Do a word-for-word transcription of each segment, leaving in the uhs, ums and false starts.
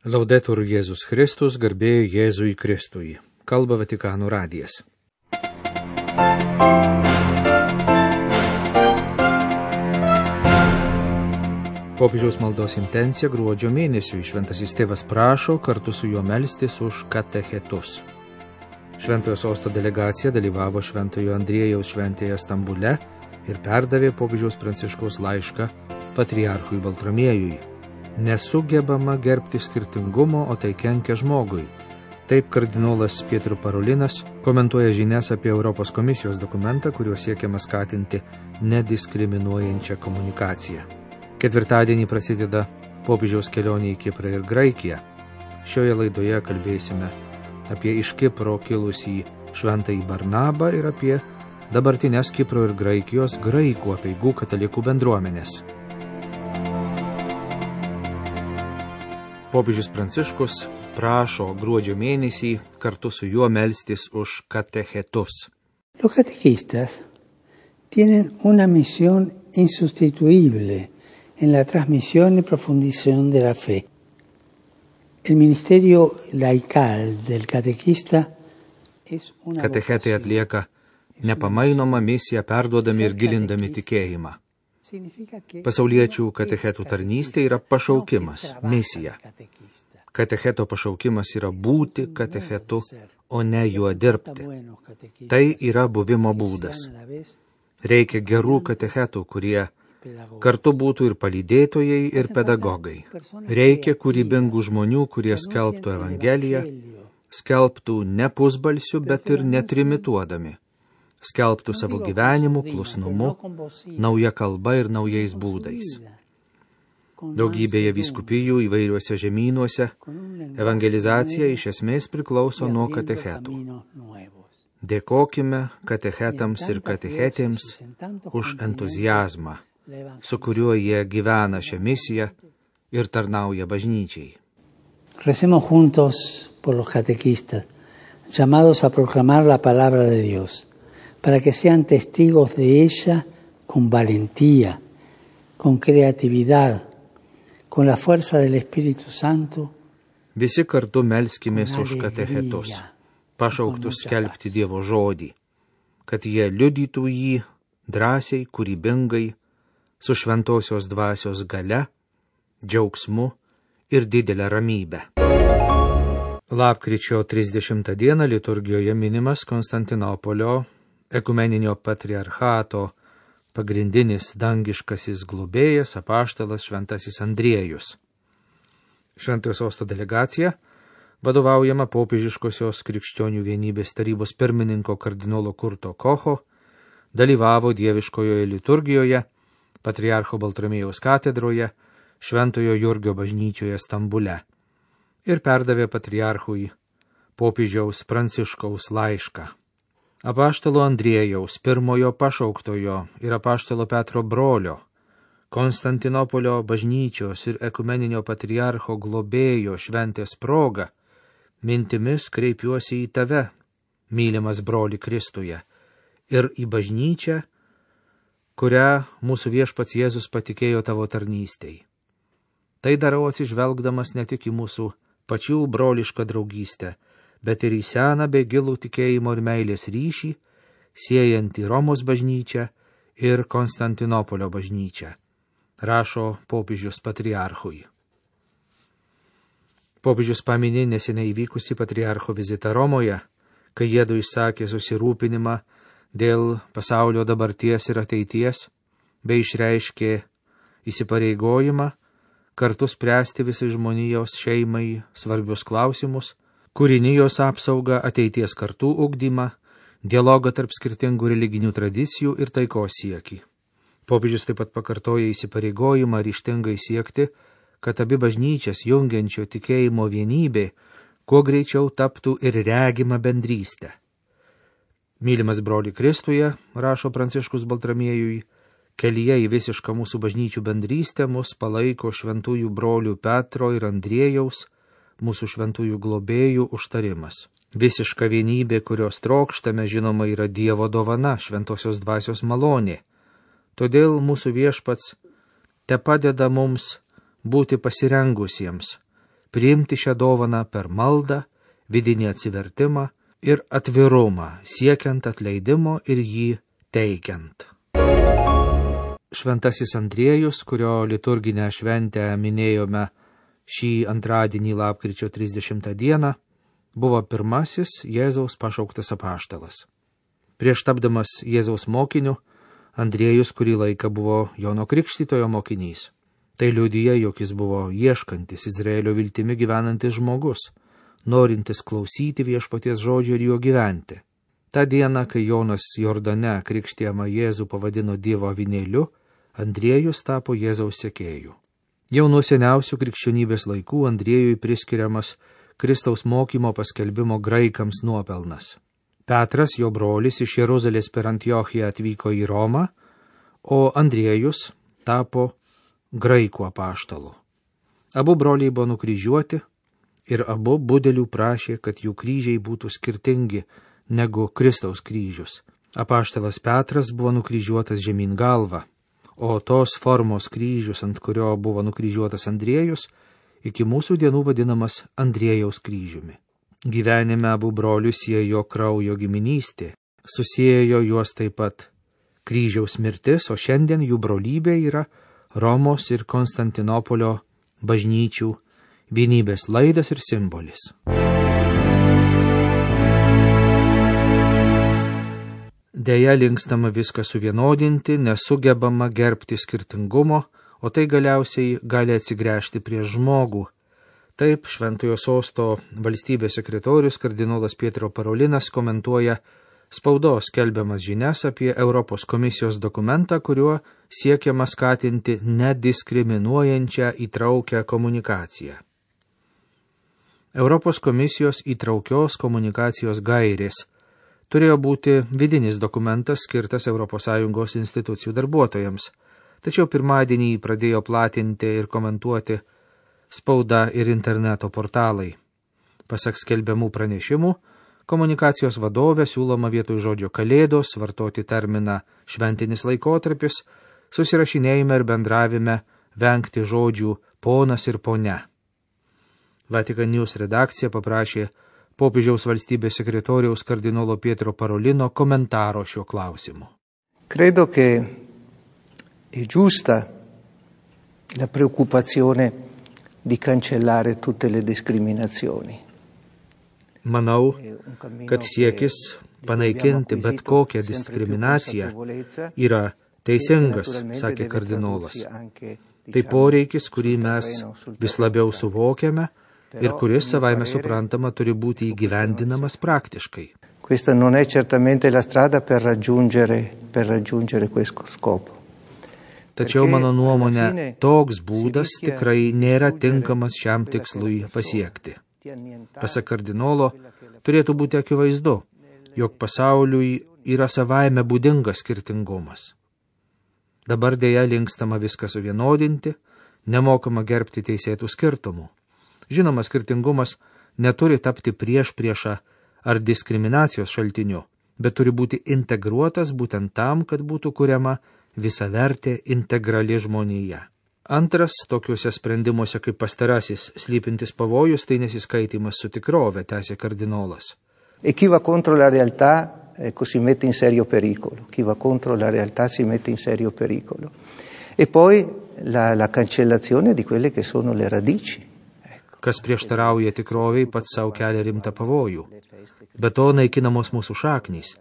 Laudetur Jėzus Kristus, garbė Jėzui Kristui. Kalba Vatikano radijas. Popiežiaus maldos intencija gruodžio mėnesiui šventasis tėvas prašo kartu su juo melstis už katechetus. Šventojo sosto delegacija dalyvavo Šventojo Andriejaus šventėje Stambule ir perdavė popiežiaus Pranciškaus laišką patriarchui Baltramiejui. Nesugebama gerbti skirtingumo, o tai kenkia žmogui. Taip kardinolas Pietro Parolinas komentuoja žinias apie Europos komisijos dokumentą, kuriuo siekiama skatinti nediskriminuojančią komunikaciją. Ketvirtadienį prasideda popiežiaus kelionė į Kiprą ir Graikiją. Šioje laidoje kalbėsime apie iš Kipro kilusį šventąjį Barnabą ir apie dabartinės Kipro ir Graikijos graikų apeigų katalikų bendruomenės. Popiežius Pranciškus prašo gruodžio mėnesį kartu su juo melstis už katechetus. Los catequistas tienen una misión insustituible en la transmisión y profundización de la fe. El ministerio laical del catequista es una Katechetai atlieka nepamainomą misiją perduodami ir gilindami tikėjimą. Pasauliečių katechetų tarnystė yra pašaukimas, misija. Katecheto pašaukimas yra būti katechetu, o ne juo dirbti. Tai yra buvimo būdas. Reikia gerų katechetų, kurie kartu būtų ir palydėtojai, ir pedagogai. Reikia kūrybingų žmonių, kurie skelbtų Evangeliją, skelbtų ne pusbalsiu, bet ir netrimituodami. Skelbtų savo gyvenimu, klusnumu, nauja kalba ir naujais būdais. Daugybėje vyskupijų įvairiuose žemynuose evangelizacija iš esmės priklauso nuo katechetų. Dėkokime katechetams ir katechetėms už entuziazmą, su kuriuo jie gyvena šią misiją ir tarnauja bažnyčiai. Recemos juntos por los catequistas, llamados a proclamar la palabra de Dios, para que sean testigos de ella con valentía, con creatividad, con la fuerza del Espíritu Santo. Visi kartu melskimės už katechetus, pašauktus skelbti Dievo žodį, kad jie liudytų jį drąsiai, kūrybingai, su šventosios dvasios galia, džiaugsmu ir didelę ramybę. Lapkričio trisdešimtą dieną liturgijoje minimas Konstantinopolio ekumeninio patriarchato pagrindinis dangiškasis globėjas apaštalas šventasis Andriejus. Šventojo sosto delegacija, vadovaujama popiežiškosios krikščionių vienybės tarybos pirmininko kardinolo Kurto Kocho, dalyvavo dieviškojoje liturgijoje, patriarcho Baltramiejaus katedroje, Šventojo Jurgio bažnyčioje Stambule ir perdavė patriarchui popiežiaus Pranciškaus laišką. Apaštalo Andriejaus, pirmojo pašauktojo ir apaštalo Petro brolio, Konstantinopolio bažnyčios ir ekumeninio patriarcho globėjo šventės proga, mintimis kreipiuosi į tave, mylimas broli Kristuje, ir į bažnyčią, kurią mūsų viešpats Jėzus patikėjo tavo tarnystei. Tai darau atsižvelgdamas ne tik į mūsų pačių brolišką draugystę, bet ir į seną bei gilų tikėjimo ir meilės ryšį, siejantį Romos bažnyčią ir Konstantinopolio bažnyčią, rašo popiežius patriarchui. Popiežius paminė neseniai įvykusį patriarcho vizitą Romoje, kai jiedu išsakė susirūpinimą dėl pasaulio dabarties ir ateities, bei išreiškė įsipareigojimą kartu spręsti visai žmonijos šeimai svarbius klausimus, kūrinijos apsaugą, ateities kartų ugdymą, dialogą tarp skirtingų religinių tradicijų ir taikos siekį. Popiežius taip pat pakartoja įsipareigojimą ryžtingai siekti, kad abi bažnyčias jungiančio tikėjimo vienybė kuo greičiau taptų ir regima bendrystė. Mylimas broli Kristuje, rašo Pranciškus Baltramiejui, kelyje į visišką mūsų bažnyčių bendrystę mus palaiko šventųjų brolių Petro ir Andriejaus, mūsų šventųjų globėjų užtarimas. Visiška vienybė, kurios trokštame, žinoma, yra Dievo dovana, šventosios dvasios malonė. Todėl mūsų viešpats te padeda mums būti pasirengusiems, priimti šią dovaną per maldą, vidinį atsivertimą ir atvirumą, siekiant atleidimo ir jį teikiant. Šventasis Andriejus, kurio liturginę šventę minėjome šį antradienį lapkričio trisdešimtą dieną, buvo pirmasis Jėzaus pašauktas apaštalas. Prieš tapdamas Jėzaus mokiniu, Andriejus kurį laiką buvo Jono Krikštytojo mokinys. Tai liudija, jog jis buvo ieškantis Izraelio viltimi gyvenantis žmogus, norintis klausyti viešpaties žodžio ir juo gyventi. Ta diena, kai Jonas Jordane krikštijamą Jėzų pavadino Dievo avinėliu, Andriejus tapo Jėzaus sekėju. Jau nuo seniausių krikščionybės laikų Andriejui priskiriamas Kristaus mokymo paskelbimo graikams nuopelnas. Petras, jo brolis, iš Jeruzalės per Antiochiją atvyko į Romą, o Andriejus tapo graikų apaštalu. Abu broliai buvo nukryžiuoti ir abu budelių prašė, kad jų kryžiai būtų skirtingi negu Kristaus kryžius. Apaštalas Petras buvo nukryžiuotas žemyn galva, o tos formos kryžius, ant kurio buvo nukryžiuotas Andriejus, iki mūsų dienų vadinamas Andriejaus kryžiumi. Gyvenime abu brolius siejo kraujo giminystė, susiejo juos taip pat kryžiaus mirtis, o šiandien jų brolybė yra Romos ir Konstantinopolio bažnyčių vienybės laidas ir simbolis. Deja, linkstama viską suvienodinti, nesugebama gerbti skirtingumo, o tai galiausiai gali atsigręžti prieš žmogų. Taip, Šventojo Sosto valstybės sekretorius kardinolas Pietro Parolinas komentuoja spaudos skelbiamas žinias apie Europos komisijos dokumentą, kuriuo siekiama skatinti nediskriminuojančią įtraukią komunikaciją. Europos komisijos įtraukios komunikacijos gairės turėjo būti vidinis dokumentas skirtas Europos Sąjungos institucijų darbuotojams, tačiau pirmadienį pradėjo platinti ir komentuoti spauda ir interneto portalai. Pasak skelbiamų pranešimų, komunikacijos vadovė siūloma vietoj žodžio kalėdos vartoti terminą šventinis laikotarpis, susirašinėjime ir bendravime vengti žodžių ponas ir ponia. Vatican News redakcija paprašė popiežiaus valstybės sekretoriaus kardinolo Pietro Parolino komentaro šiuo klausimu. Credo che è giusta la preoccupazione di cancellare tutte le discriminazioni. Manau, kad siekis panaikinti bet kokią diskriminaciją yra teisingas, sakė kardinolas. Tai poreikis, kurį mes vis labiau suvokiame ir kuris savaime suprantama turi būti įgyvendinamas praktiškai. Questa non è certamente la strada per raggiungere, per raggiungere questo scopo. Tačiau mano nuomonė, toks būdas tikrai nėra tinkamas šiam tikslui pasiekti. Pasak kardinolo, turėtų būti akivaizdu, jog pasauliui yra savaime būdingas skirtingumas. Dabar dėja linkstama viską suvienodinti, nemokama gerbti teisėtų skirtumų. Žinoma, skirtingumas neturi tapti prieš priešą ar diskriminacijos šaltiniu, bet turi būti integruotas būtent tam, kad būtų kuriama visavertė integrali žmonija. Antras, tokiuose sprendimuose kaip pastarasis slypintis pavojus, tai nesiskaitimas su tikrove, tęsė kardinolas. E chi va contro la realtà ecco, si mette in serio pericolo. Chi va contro la realtà si mette in serio pericolo. E poi la, la cancellazione di quelle che sono le radici. Kas prieštarauja tikroviai, pats savo kelia rimtą pavojų. Be to naikinamos mūsų šaknys,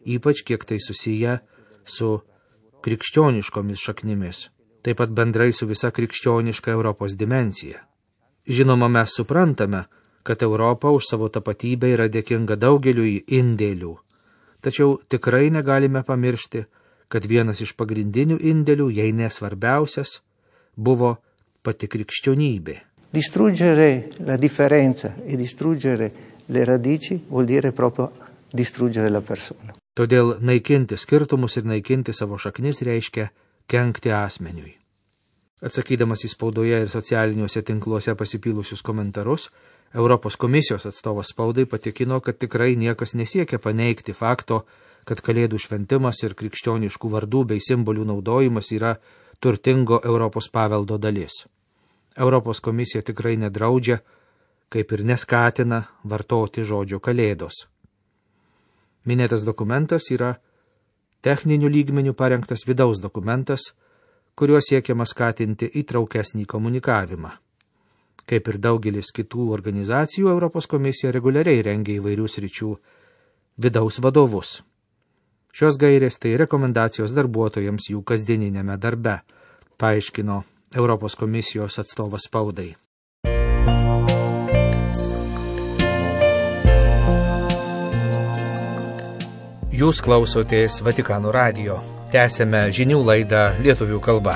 ypač kiek tai susiję su krikščioniškomis šaknimis, taip pat bendrai su visa krikščioniška Europos dimensija. Žinoma, mes suprantame, kad Europa už savo tapatybę yra dėkinga daugeliui indėlių, tačiau tikrai negalime pamiršti, kad vienas iš pagrindinių indėlių, jei nesvarbiausias, buvo pati krikščionybė. Distruggere la differenza e distruggere le radici vuol dire proprio distruggere la persona. Todėl naikinti skirtumus ir naikinti savo šaknis reiškia kenkti asmeniui. Atsakydamas į spaudoje ir socialiniuose tinkluose pasipylusius komentarus, Europos komisijos atstovas spaudai patikino, kad tikrai niekas nesiekia paneigti fakto, kad kalėdų šventimas ir krikščioniškų vardų bei simbolių naudojimas yra turtingo Europos paveldo dalis. Europos komisija tikrai nedraudžia, kaip ir neskatina vartoti žodžio kalėdos. Minėtas dokumentas yra techninių lygmenių parengtas vidaus dokumentas, kuriuo siekiama skatinti įtraukesnį komunikavimą. Kaip ir daugelis kitų organizacijų, Europos komisija reguliariai rengia įvairių sričių vidaus vadovus. Šios gairės tai rekomendacijos darbuotojams jų kasdieninėme darbe, paaiškino Europos komisijos atstovas spaudai. Jūs klausotės Vatikano radijo. Tęsėme žinių laidą lietuvių kalba.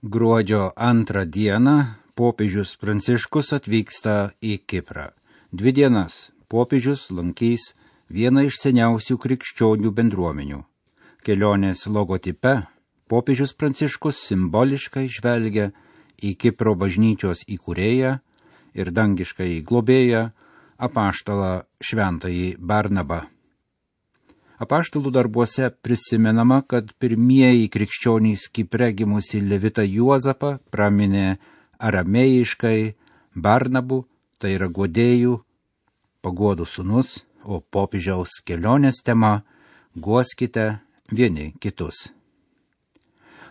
Gruodžio antrą dieną popiežius Pranciškus atvyksta į Kiprą. Dvi dienas popiežius lankys vieną iš seniausių krikščionių bendruomenių. Kelionės logotipe popiežius Pranciškus simboliškai žvelgia į Kipro bažnyčios įkūrėją ir dangiškai globėją apaštalą šventąjį Barnabą. Apaštalų darbuose prisimenama, kad pirmieji krikščionys Kipre gimusi levitą Juozapą praminė aramėjiškai Barnabu, tai yra guodėjų, paguodų sūnus, o popiežiaus kelionės tema guoskite vieni kitus.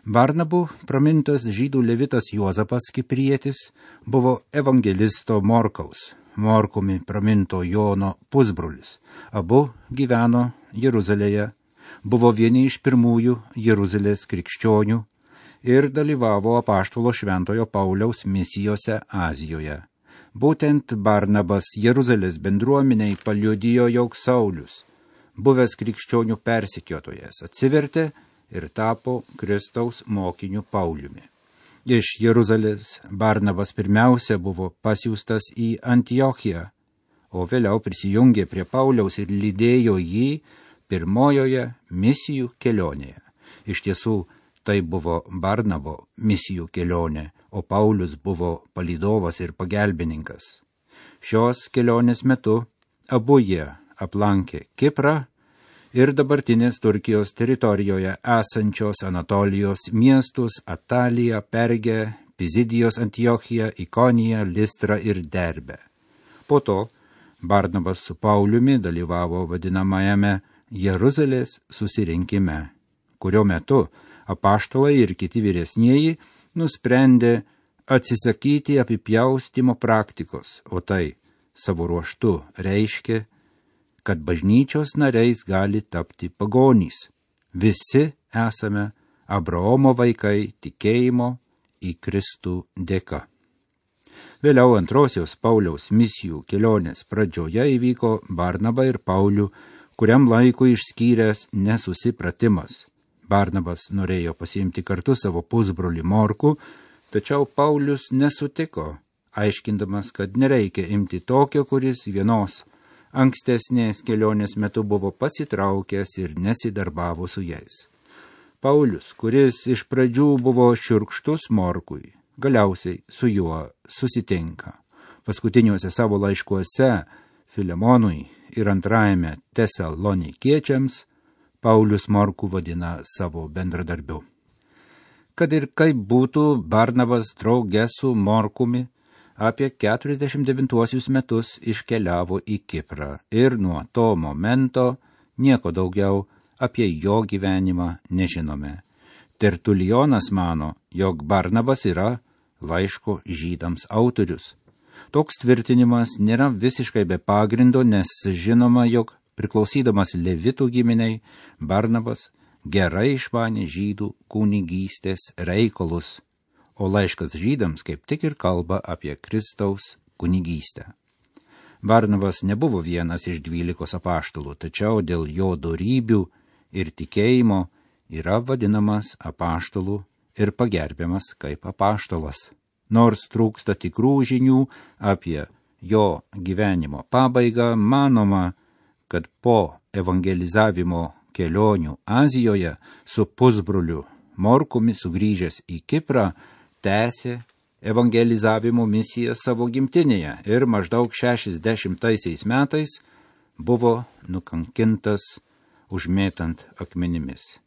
Barnabu pramintas žydų levitas Juozapas Kiprietis buvo evangelisto Morkaus, Morkumi praminto Jono pusbrolis. Abu gyveno Jeruzalėje, buvo vieni iš pirmųjų Jeruzalės krikščionių ir dalyvavo apaštalo šventojo Pauliaus misijose Azijoje. Būtent Barnabas Jeruzalės bendruomeniai paliudijo, jog Saulius, buvęs krikščionių persekiotojas, atsivertė ir tapo Kristaus mokiniu Pauliumi. Iš Jeruzalės Barnabas pirmiausia buvo pasiųstas į Antiochiją, o vėliau prisijungė prie Pauliaus ir lydėjo jį pirmojoje misijų kelionėje. Iš tiesų, tai buvo Barnabo misijų kelionė, o Paulius buvo palydovas ir pagelbininkas. Šios kelionės metu abu jie aplankė Kiprą ir dabartinės Turkijos teritorijoje esančios Anatolijos miestus Ataliją, Pergę, Pizidijos Antiochiją, Ikoniją, Listrą ir Derbę. Po to Barnabas su Pauliumi dalyvavo vadinamajame Jeruzalės susirinkime, kurio metu apaštalai ir kiti vyresnieji nusprendė atsisakyti apipjaustimo praktikos, o tai savo ruožtu reiškia, kad bažnyčios nariais gali tapti pagonys. Visi esame Abraomo vaikai tikėjimo į Kristų dėka. Vėliau antrosios Pauliaus misijų kelionės pradžioje įvyko Barnabą ir Paulių, kuriam laikui išskyręs nesusipratimas. Barnabas norėjo pasiimti kartu savo pusbrolį Morkų, tačiau Paulius nesutiko, aiškindamas, kad nereikia imti tokio, kuris vienos ankstesnės kelionės metu buvo pasitraukęs ir nesidarbavo su jais. Paulius, kuris iš pradžių buvo šiurkštus Morkui, galiausiai su juo susitinka. Paskutiniuose savo laiškuose Filemonui ir antrajame Tesalonikiečiams Paulius Morkų vadina savo bendradarbiu. Kad ir kaip būtų, Barnabas drauge su Morkumi apie keturiasdešimt devintuosius metus iškeliavo į Kiprą ir nuo to momento nieko daugiau apie jo gyvenimą nežinome. Tertulijonas mano, jog Barnabas yra laiško žydams autorius. Toks tvirtinimas nėra visiškai be pagrindo, nes žinoma, jog priklausydamas levitų giminiai, Barnabas gerai išmanė žydų kunigystės reikalus, o laiškas žydams kaip tik ir kalba apie Kristaus kunigystę. Barnabas nebuvo vienas iš dvylikos apaštalų, tačiau dėl jo dorybių ir tikėjimo yra vadinamas apaštalų ir pagerbiamas kaip apaštalas. Nors trūksta tikrų žinių apie jo gyvenimo pabaigą, manoma, kad po evangelizavimo kelionių Azijoje su pusbroliu Morkumi sugrįžęs į Kiprą tęsė evangelizavimo misiją savo gimtinėje ir maždaug šešiasdešimtaisiais metais buvo nukankintas užmėtant akmenimis.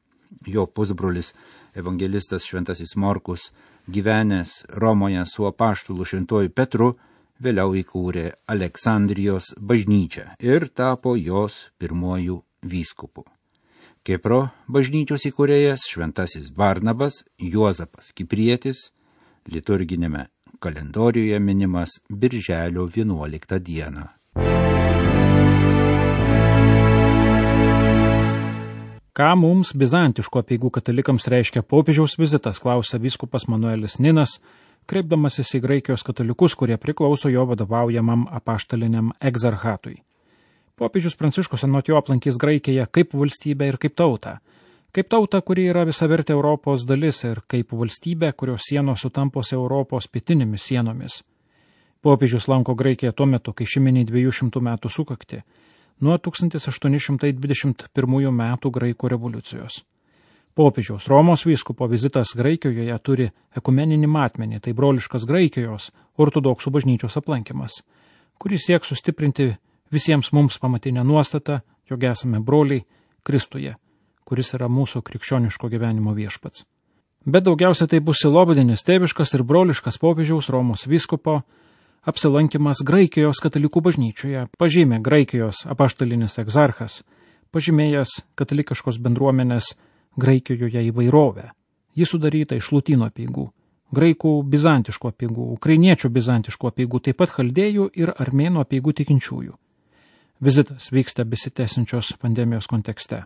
Jo pusbrolis evangelistas Šventasis Morkus, gyvenęs Romoje su apaštulu Šventuoju Petru, vėliau įkūrė Aleksandrijos bažnyčią ir tapo jos pirmuoju vyskupu. Kipro bažnyčios įkūrėjas Šventasis Barnabas Juozapas Kiprietis liturginėme kalendoriuje minimas birželio vienuoliktą dieną. Ką mums bizantiškų apeigų katalikams reiškia popiežiaus vizitas, klausia vyskupas Manuelis Ninas, kreipdamasis į Graikijos katalikus, kurie priklauso jo vadovaujamam apaštaliniam egzarchatui. Popiežius Pranciškus anot jo aplankys Graikiją kaip valstybę ir kaip tautą. Kaip tauta, kuri yra visavertė Europos dalis ir kaip valstybė, kurios sienos sutampo su Europos pietinėmis sienomis. Popiežius lanko Graikiją tuo metu, kai ši mini dviejų šimtų metų sukakti, nuo tūkstantis aštuoni šimtai dvidešimt pirmųjų metų Graikų revoliucijos. Popiežiaus Romos vyskupo vizitas Graikijoje turi ekumeninį matmenį, tai broliškas Graikijos ortodoksų bažnyčios aplankymas, kuris sieks sustiprinti visiems mums pamatinę nuostatą, jog esame broliai Kristuje, kuris yra mūsų krikščioniško gyvenimo viešpats. Bet daugiausia tai bus silobadinis, tėviškas ir broliškas popiežiaus Romos vyskupo apsilankimas Graikijos katalikų bažnyčioje, pažymė Graikijos apaštalinis egzarchas, pažymėjęs katalikiškos bendruomenės Graikijoje įvairovę. Ji sudaryta iš lotynų apeigų, graikų bizantiškų apeigų, ukrainiečių bizantiškų apeigų, taip pat chaldėjų ir armėnų apeigų tikinčiųjų. Vizitas vyksta besitęsiančios pandemijos kontekste.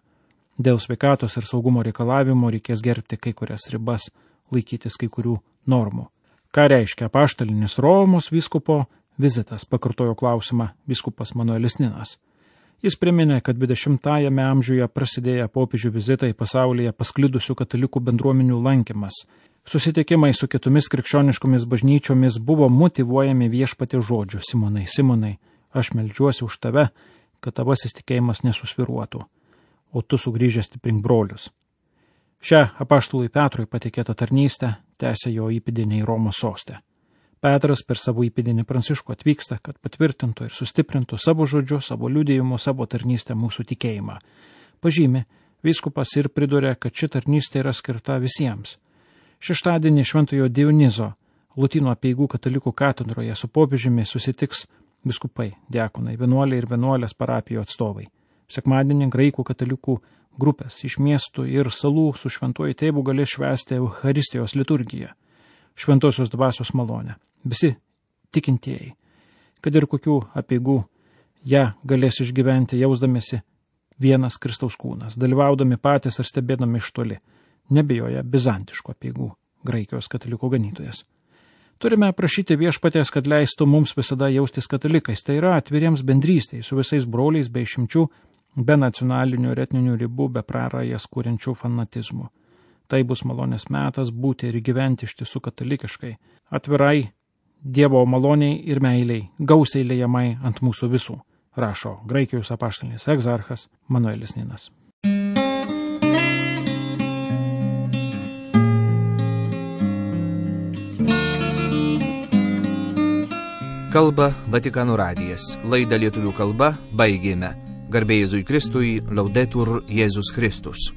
Dėl sveikatos ir saugumo reikalavimo reikės gerbti kai kurias ribas, laikytis kai kurių normų. Ką reiškia apaštalinis Romos vyskupo vizitas, pakartojo klausimą vyskupas Manuelis Ninas. Jis priminė, kad dvidešimtajame amžiuje prasidėję popiežių vizitai pasaulyje pasklidusių katalikų bendruomenių lankymas. Susitikimai su kitomis krikščioniškomis bažnyčiomis buvo motyvuojami viešpaties žodžiu: Simonai, Simonai, aš meldžiuosi už tave, kad tavasis tikėjimas nesusviruotų, o tu sugrįžęs stiprink brolius. Šią apaštalui Petrui patikėtą tarnystę tęsia jo įpėdiniai Romos soste. Petras per savo įpėdinį Pranciškų atvyksta, kad patvirtintų ir sustiprintų savo žodžiu, savo liudijimu, savo tarnystę mūsų tikėjimą. Pažymi vyskupas ir priduria, kad ši tarnystė yra skirta visiems. Šeštadienį Šventojo Dionizo lotynų apeigų katalikų katedroje su popiežiumi susitiks viskupai, diakonai, vienuoliai ir vienuolės parapijų atstovai. Sekmadienį graikų katalikų grupės iš miestų ir salų su šventuoju tėvu galės švęsti Eucharistijos liturgiją, šventosios dvasios malonę. Visi tikintieji, kad ir kokių apeigų, ją galės išgyventi jausdamėsi vienas Kristaus kūnas, dalyvaudami patys ar stebėdami iš toli, nebijoja bizantiškų apeigų Graikijos katalikų ganytojas. Turime prašyti viešpaties, kad leistų mums visada jaustis katalikais, tai yra atviriems bendrystei su visais broliais be išimčių, be nacionalinių ir etninių ribų, be prarajas kuriančių fanatizmų. Tai bus malonės metas būti ir gyventi iš tiesų katalikiškai, atvirai, Dievo maloniai ir meiliai, gausiai lejamai ant mūsų visų, rašo Graikijos apaštalinis egzarchas Manuelis Ninas. Kalba Vatikano radijas. Laidą lietuvių kalba baigėme. Garbė Jėzui Kristui, Laudetur Jėzus Kristus.